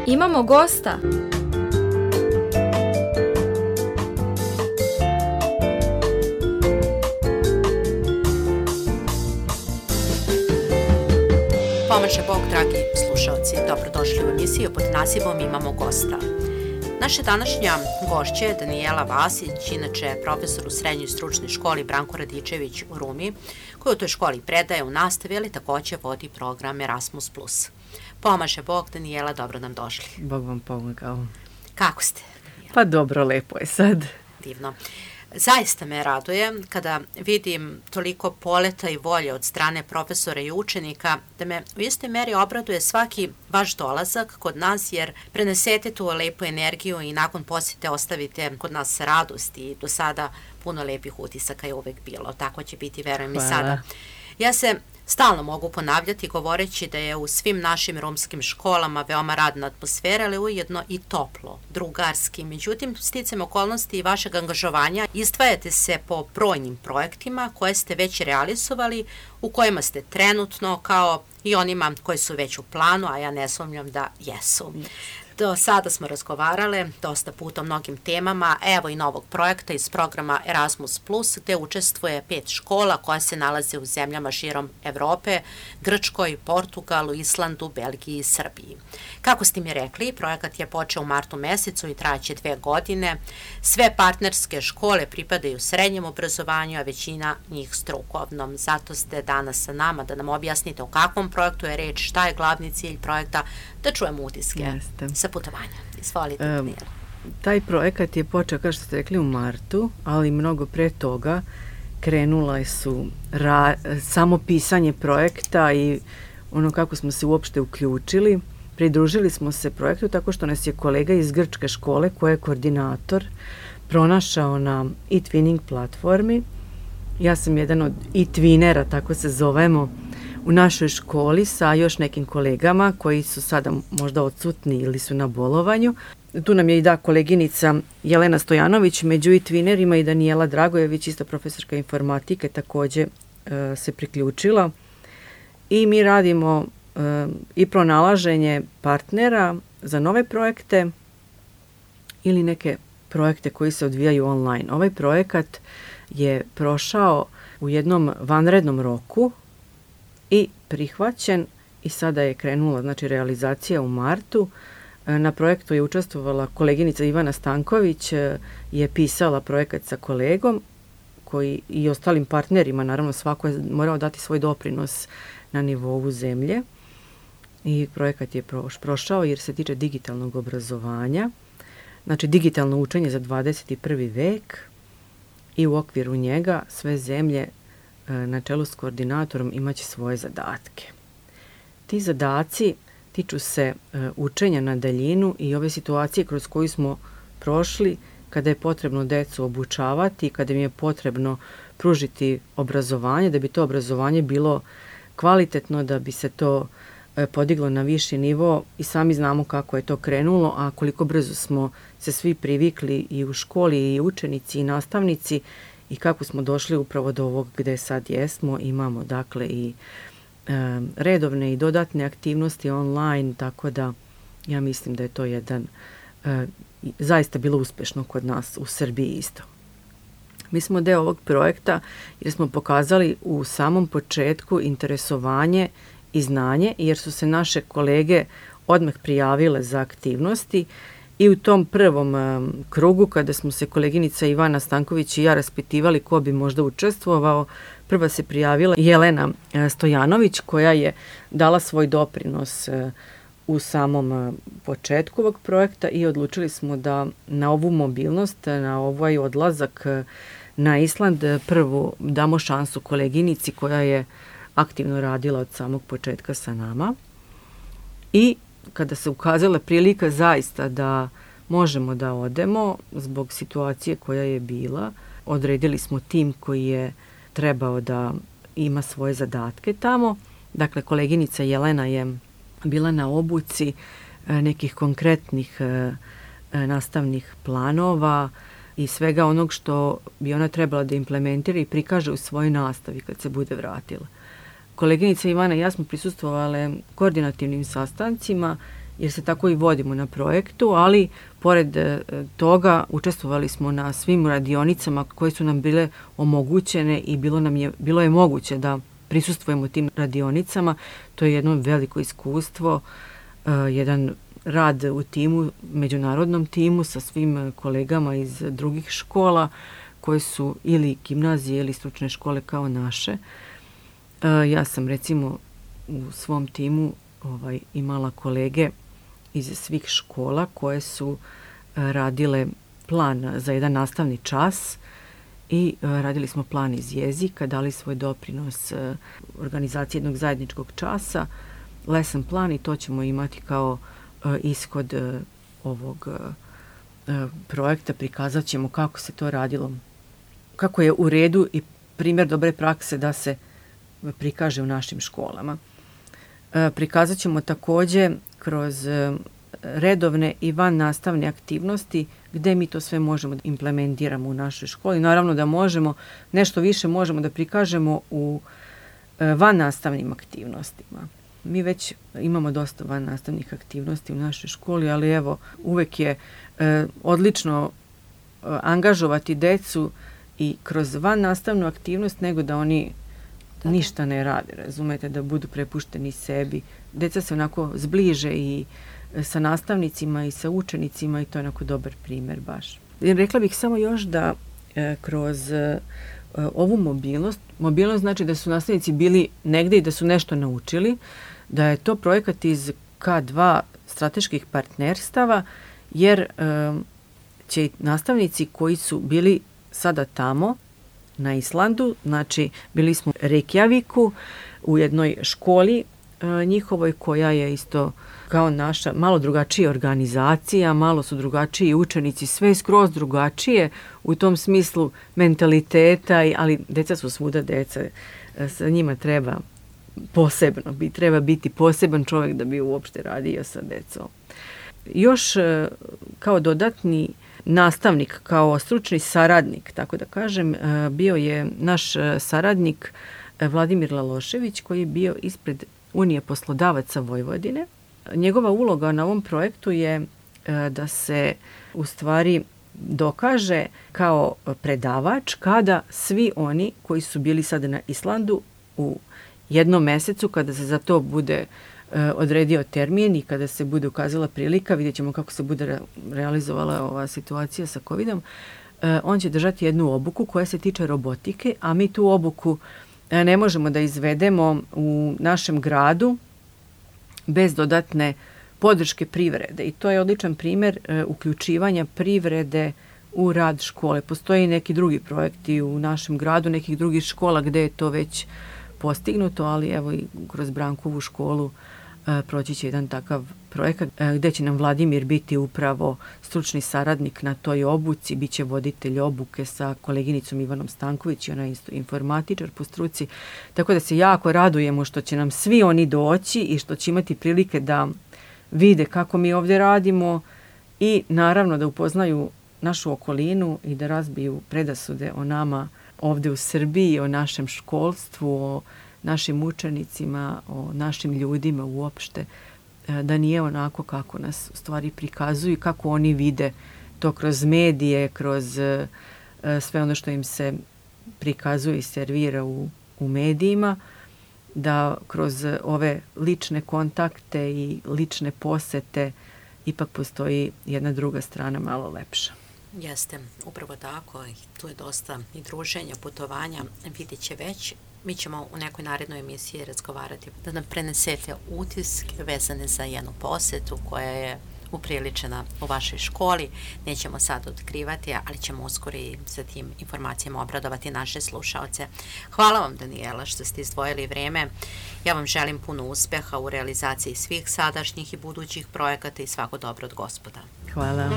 Imamo gosta. Pomaže Bog, dragi slušalci, dobrodošli u emisiju pod nazivom Imamo gosta. Naša današnja gošća je Danijela Vasić, inače profesor u srednjoj stručnoj školi Branko Radičević u Rumi, koji u toj školi predaje u nastavi, ali također vodi program Erasmus+. Pomaže Bog, Danijela, dobro nam došli. Bog vam pomogao. Kako ste, Danijela? Pa dobro, lepo je sad. Divno. Zaista me raduje kada vidim toliko poleta i volje od strane profesora i učenika, da me u istoj meri obraduje svaki vaš dolazak kod nas, jer prenesete tu lepu energiju i nakon posjete ostavite kod nas radost i do sada puno lepih utisaka je uvek bilo. Tako će biti, verujem, i sada. Ja se stalno mogu ponavljati govoreći da je u svim našim romskim školama veoma radna atmosfera, ali ujedno i toplo, drugarski. Međutim, sticajem okolnosti i vašeg angažovanja izdvajate se po brojnim projektima koje ste već realizovali, u kojima ste trenutno, kao i onima koji su već u planu, a ja ne sumnjam da jesu. Do sada smo razgovarale dosta puta o mnogim temama, evo i novog projekta iz programa Erasmus+, gde učestvuje 5 škola koja se nalaze u zemljama širom Evrope, Grčkoj, Portugalu, Islandu, Belgiji i Srbiji. Kako ste mi rekli, projekat je počeo u martu mesecu i trajaće 2 godine. Sve partnerske škole pripadaju srednjem obrazovanju, a većina njih strukovnom. Zato ste danas sa nama da nam objasnite o kakvom projektu je reč, šta je glavni cilj projekta, da čujemo utiske sa putovanja. Izvolite, Danijela. Taj projekat je počeo, kao što ste rekli, u martu, ali mnogo pre toga krenula su samo pisanje projekta i ono kako smo se uopšte uključili. Pridružili smo se projektu tako što nas je kolega iz grčke škole, koji je koordinator, pronašao na e-twinning platformi. Ja sam jedan od e-twinera, tako se zovemo, u našoj školi sa još nekim kolegama koji su sada možda odsutni ili su na bolovanju. Tu nam je i koleginica Jelena Stojanović, među e-twinerima i Danijela Dragojević, isto profesorka informatike, također se priključila. I mi radimo i pronalaženje partnera za nove projekte ili neke projekte koji se odvijaju online. Ovaj projekat je prošao u jednom vanrednom roku i prihvaćen i sada je krenula, znači, realizacija u martu. Na projektu je učestvovala koleginica Ivana Stanković, je pisala projekat sa kolegom koji i ostalim partnerima, naravno svako je morao dati svoj doprinos na nivou zemlje i projekat je prošao jer se tiče digitalnog obrazovanja, znači digitalno učenje za 21. vek i u okviru njega sve zemlje na čelu s koordinatorom imaće svoje zadatke. Ti zadaci tiču se učenja na daljinu i ove situacije kroz koju smo prošli kada je potrebno decu obučavati, kada im je potrebno pružiti obrazovanje, da bi to obrazovanje bilo kvalitetno, da bi se to podiglo na viši nivo i sami znamo kako je to krenulo, a koliko brzo smo se svi privikli i u školi i učenici i nastavnici i kako smo došli upravo do ovog gde sad jesmo. Imamo dakle i redovne i dodatne aktivnosti online, tako da ja mislim da je to jedan zaista bilo uspešno kod nas u Srbiji isto. Mi smo deo ovog projekta jer smo pokazali u samom početku interesovanje i znanje, jer su se naše kolege odmah prijavile za aktivnosti i u tom prvom krugu, kada smo se koleginica Ivana Stanković i ja raspitivali ko bi možda učestvovao, prva se prijavila Jelena Stojanović, koja je dala svoj doprinos u samom početku ovog projekta i odlučili smo da na ovu mobilnost, na ovaj odlazak na Island prvu damo šansu koleginici koja je aktivno radila od samog početka sa nama. I kada se ukazala prilika zaista da možemo da odemo zbog situacije koja je bila, odredili smo tim koji je trebao da ima svoje zadatke tamo. Dakle, koleginica Jelena je bila na obuci nekih konkretnih nastavnih planova i svega onog što bi ona trebala da implementira i prikaže u svojoj nastavi kad se bude vratila. Koleginica Ivana i ja smo prisustvovale koordinativnim sastancima jer se tako i vodimo na projektu, ali pored toga učestvovali smo na svim radionicama koje su nam bile omogućene i bilo je moguće da prisustvujemo tim radionicama. To je jedno veliko iskustvo, jedan rad u timu, međunarodnom timu sa svim kolegama iz drugih škola koje su ili gimnazije ili stručne škole kao naše. Ja sam recimo u svom timu imala kolege iz svih škola koje su radile plan za jedan nastavni čas i radili smo plan iz jezika, dali svoj doprinos organizaciji jednog zajedničkog časa, lesson plan, i to ćemo imati kao ishod ovog projekta. Prikazat ćemo kako se to radilo, kako je u redu i primjer dobre prakse da se prikaže u našim školama. Prikazat ćemo također kroz redovne i van nastavne aktivnosti gde mi to sve možemo da implementiramo u našoj školi. Naravno da možemo, nešto više možemo da prikažemo u van nastavnim aktivnostima. Mi već imamo dosta van nastavnih aktivnosti u našoj školi, ali evo, uvek je odlično angažovati decu i kroz van nastavnu aktivnost nego da oni ništa ne rade, razumete, da budu prepušteni sebi. Deca se onako zbliže i sa nastavnicima i sa učenicima i to je onako dobar primjer baš. Rekla bih samo još da kroz ovu mobilnost znači da su nastavnici bili negde i da su nešto naučili, da je to projekat iz K2 strateških partnerstava, jer će nastavnici koji su bili sada tamo na Islandu, znači bili smo u Reykjaviku u jednoj školi njihovoj koja je isto kao naša, malo drugačija organizacija, malo su drugačiji učenici, sve skroz drugačije u tom smislu mentaliteta, ali deca su svuda deca, sa njima treba posebno, treba biti poseban čovjek da bi uopšte radio sa decom. Još kao dodatni nastavnik, kao stručni saradnik, tako da kažem, bio je naš saradnik Vladimir Lalošević, koji je bio ispred Unije poslodavaca Vojvodine. Njegova uloga na ovom projektu je da se u stvari dokaže kao predavač kada svi oni koji su bili sada na Islandu u jednom mesecu, kada se za to bude odredio termin i kada se bude ukazala prilika, vidjet ćemo kako se bude realizovala ova situacija sa COVID-om, on će držati jednu obuku koja se tiče robotike, a mi tu obuku ne možemo da izvedemo u našem gradu bez dodatne podrške privrede. I to je odličan primjer uključivanja privrede u rad škole. Postoji neki drugi projekti u našem gradu, nekih drugih škola gde je to već postignuto, ali evo i kroz Brankovu školu proći će jedan takav projekat gde će nam Vladimir biti upravo stručni saradnik na toj obuci, bit će voditelj obuke sa koleginicom Ivanom Stanković i ona je isto informatičar po struci, tako da se jako radujemo što će nam svi oni doći i što će imati prilike da vide kako mi ovdje radimo i naravno da upoznaju našu okolinu i da razbiju predasude o nama ovdje u Srbiji, o našem školstvu, o našim učenicima, o našim ljudima uopšte, da nije onako kako nas u stvari prikazuju, kako oni vide to kroz medije, kroz sve ono što im se prikazuje i servira u medijima, da kroz ove lične kontakte i lične posete ipak postoji jedna druga strana malo lepša. Jeste, upravo tako. Tu je dosta i druženja, putovanja, vidjet će već. Mi ćemo u nekoj narednoj emisiji razgovarati da nam prenesete utiske vezane za jednu posetu koja je upriličena u vašoj školi. Nećemo sad otkrivati, ali ćemo uskoro i sa tim informacijama obradovati naše slušaoce. Hvala vam, Danijela, što ste izdvojili vreme. Ja vam želim puno uspeha u realizaciji svih sadašnjih i budućih projekata i svako dobro od Gospoda. Hvala.